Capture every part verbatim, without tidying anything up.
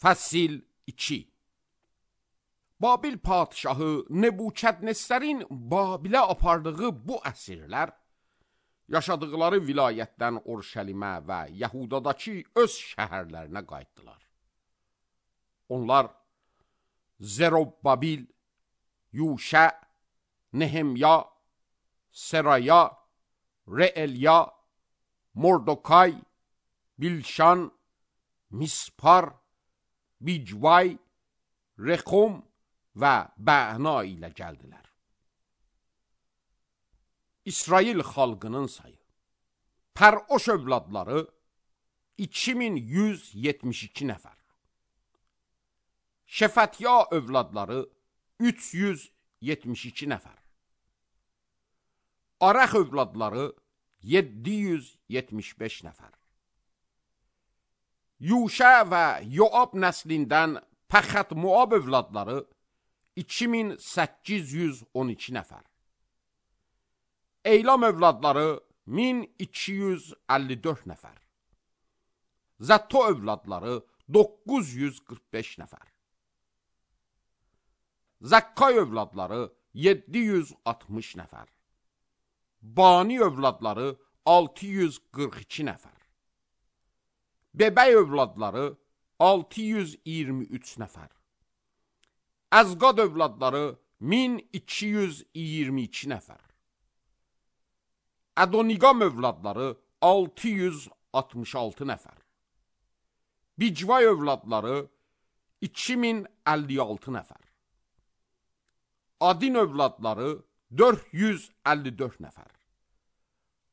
Fəsil iki. Babil padişahı Nebukadnesərin Babilə apardığı bu əsirlər, yaşadıqları vilayətdən Urşəlimə və Yəhudadakı öz şəhərlərinə qayıtdılar. Onlar Zerobbabil, Yuşə, Nehemya, Seraya, Reelya, Mordokay, Bilşan, Mispar, Bicvay, Rexum və Bəna ilə gəldilər. İsrail xalqının sayı. Pəroş övladları iki min yüz yetmiş iki nəfər. Şefətya övladları üç yüz yetmiş iki nəfər. Arax övladları yeddi yüz yetmiş beş nəfər. Yuşə və Yoab nəslindən Pəxət Moab övladları iki min səkkiz yüz on iki nəfər. Eylam övladları min iki yüz əlli dörd nəfər. Zətto övladları doqquz yüz qırx beş nəfər. Zəkkay övladları yeddi yüz altmış nəfər. Bani övladları altı yüz qırx iki nəfər. Bebəy övladları altı yüz iyirmi üç nəfər. Əzqad övladları min iki yüz iyirmi iki nəfər. Adoniqam övladları altı yüz altmış altı nəfər. Bicvay övladları iki min əlli altı nəfər. Adin övladları dörd yüz əlli dörd nəfər.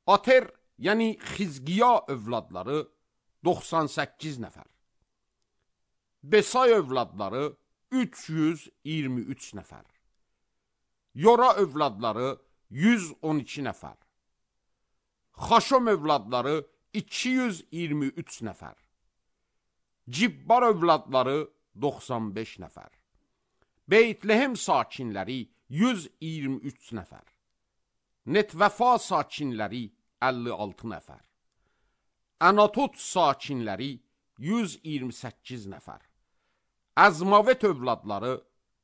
Ater, yəni Xizqiya övladları doxsan səkkiz nəfər. Besay övladları üç yüz iyirmi üç nəfər. Yora övladları yüz on iki nəfər. Xaşom övladları iki yüz iyirmi üç nəfər. Cibbar övladları doxsan beş nəfər. Beytlehem sakinləri yüz iyirmi üç nəfər. Netvəfa sakinləri əlli altı nəfər. Anatot sakinləri yüz iyirmi səkkiz nəfər. Əzmavet övladları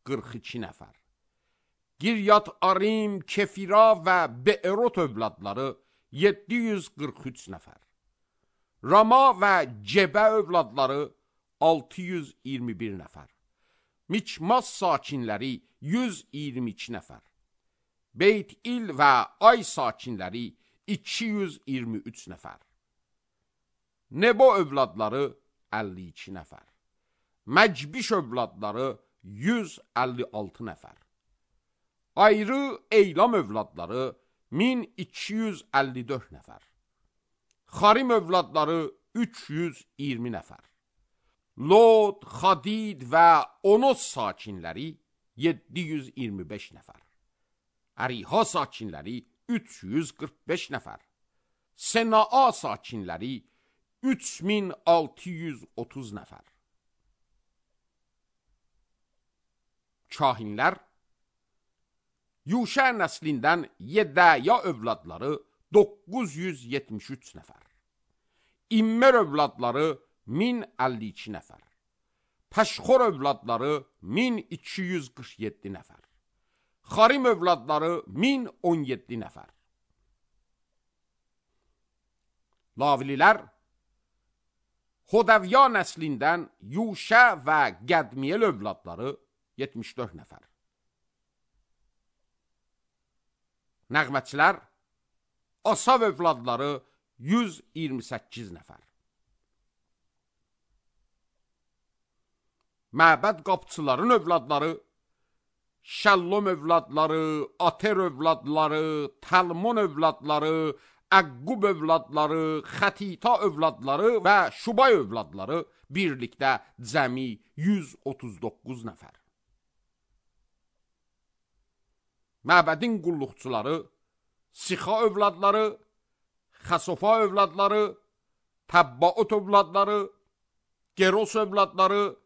qırx iki nəfər. Giryat Arim, Kefira və Beerot övladları yeddi yüz qırx üç nəfər. Rama və Cebə övladları altı yüz iyirmi bir nəfər. Miçmas sakinləri yüz iyirmi iki nəfər. Beyt-İl və Ay sakinləri iki yüz iyirmi üç nəfər. Nebo övladları əlli iki nəfər. Məcbiş övladları yüz əlli altı nəfər. Ayrı Eylam övladları min iki yüz əlli dörd nəfər. Xarim övladları üç yüz iyirmi nəfər. Lod, Xadid və Onos sakinləri yeddi yüz iyirmi beş nəfər. Əriha sakinləri üç yüz qırx beş nəfər. Senaa sakinləri üç min altı yüz otuz nəfər. Kahinlər, Yuşə nəslindən Yedəya övladları doqquz yüz yetmiş üç nəfər. İmmer övladları min əlli iki nəfər. Pəşxor övladları min iki yüz qırx yeddi nəfər. Xarim övladları min on yeddi nəfər. Lavililər, Hodəvya nəslindən Yuşə və Qədmiyel övladları yetmiş dörd nəfər. Nəğmətçilər, Asav övladları yüz iyirmi səkkiz nəfər. Məbəd qapçıların övladları, Şəllom övladları, Ater övladları, Təlmon övladları, Əqqub övladları, Xətita övladları və Şubay övladları birlikdə cəmi yüz otuz doqquz nəfər. Məbədin qulluqçuları, Sixa övladları, Xəsofa övladları, Təbbaot övladları, Geros övladları,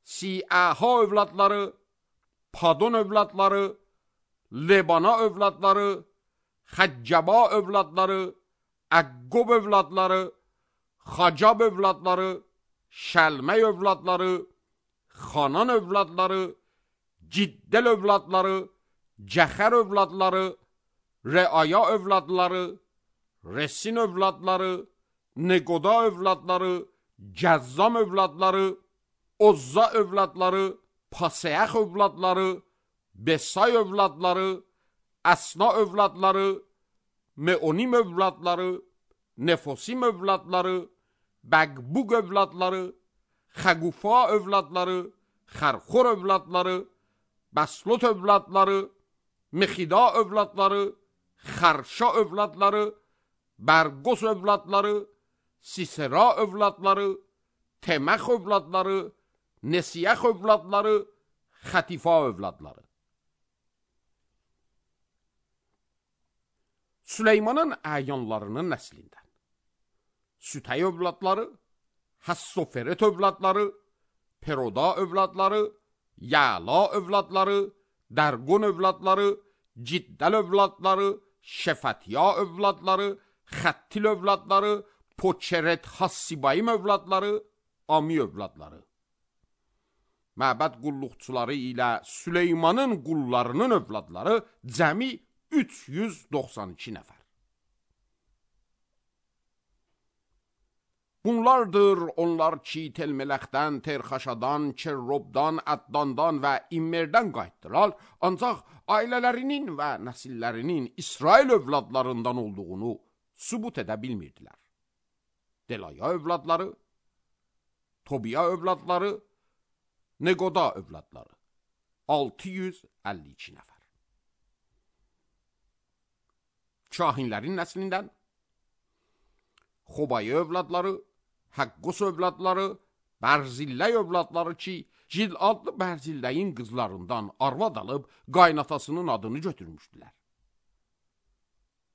Siəha övladları, Padon övladları, Lebana övladları, Xəccəba övladları, Əqqob övladları, Xacab övladları, Şəlmək övladları, Xanan övladları, Ciddəl övladları, Cəxər övladları, Rəaya övladları, Resin övladları, Neqoda övladları, Cəzzam övladları, Ozza övladları, Paseəx övladları, Besay övladları, Əsna övladları, Meonim övladları, Nefosim övladları, Bəqbuq övladları, Xəqufa övladları, Xərxor övladları, Bəslot övladları, Mexida övladları, Xərşa övladları, Bərqos övladları, Sisera övladları, Teməx övladları, Nesiyəx övladları, Xətifa övladları. Süleymanın əyanlarının nəslindən Sütəy övladları, Həssoferet övladları, Peroda övladları, Yəla övladları, Dərqon övladları, Ciddəl övladları, Şefatiya övladları, Xəttil övladları, Poçeret Hassibayim övladları, Ami övladları. Məbəd qulluqçuları ilə Süleymanın qullarının övladları cəmi üç yüz doxsan iki nəfər. Bunlardır onlar ki, Telmələxdən, Terxaşadan, Kerrobdan, Əddandan və İmmerdən qayıtdılar, ancaq ailələrinin və nəsillərinin İsrail övladlarından olduğunu sübut edə bilmirdilər. Delaya övladları, Tobiya övladları, Neqoda övladları, altı yüz əlli iki nəfər. Kahinlərin nəslindən Xobayı övladları, Həqqos övladları, Bərzilləy övladları ki, Cil adlı Bərzilləyin qızlarından arvad alıb qaynatasının adını götürmüşdülər.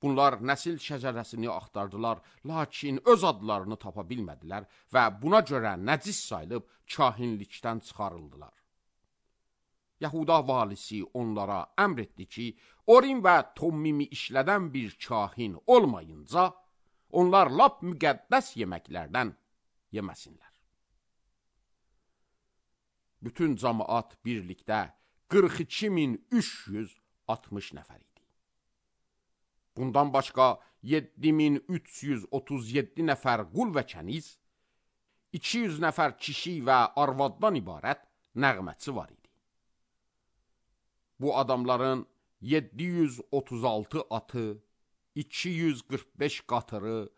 Bunlar nəsil şəcərəsini axtardılar, lakin öz adlarını tapa bilmədilər və buna görə nəcis sayılıb kahinlikdən çıxarıldılar. Yahuda valisi onlara əmr etdi ki, Orim və Tommimi işlədən bir kahin olmayınca, onlar lap müqəddəs yeməklərdən yeməsinlər. Bütün cəmaat birlikdə qırx iki min üç yüz altmış nəfər idi. Bundan başqa yeddi min üç yüz otuz yeddi nəfər qul və kəniz, iki yüz nəfər kişi və arvaddan ibarət nəğməçi var idi. Bu adamların yeddi yüz otuz altı atı, iki yüz qırx beş qatırı,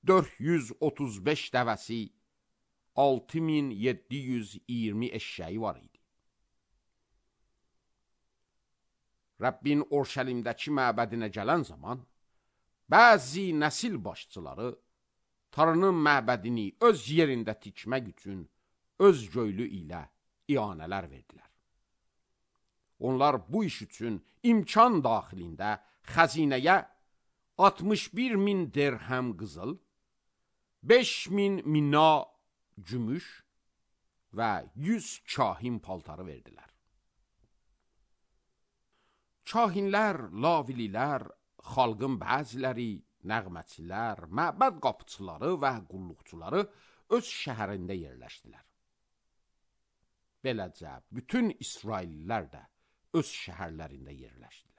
dörd yüz otuz beş dəvəsi, altı min yeddi yüz iyirmi eşşəyi var idi. Rəbbin Orşəlimdəki məbədinə gələn zaman, bəzi nəsil başçıları Tanrının məbədini öz yerində tikmək üçün öz göylü ilə ianələr verdilər. Onlar bu iş üçün imkan daxilində xəzinəyə altmış bir min dirhəm qızıl, beş min mina gümüş və yüz kahin paltarı verdilər. Kahinlər, lavililər, xalqın bəziləri, nəğməçilər, məbəd qapıçıları və qulluqçuları öz şəhərində yerləşdilər. Beləcə, bütün İsraillilər də öz şəhərlərində yerləşdilər.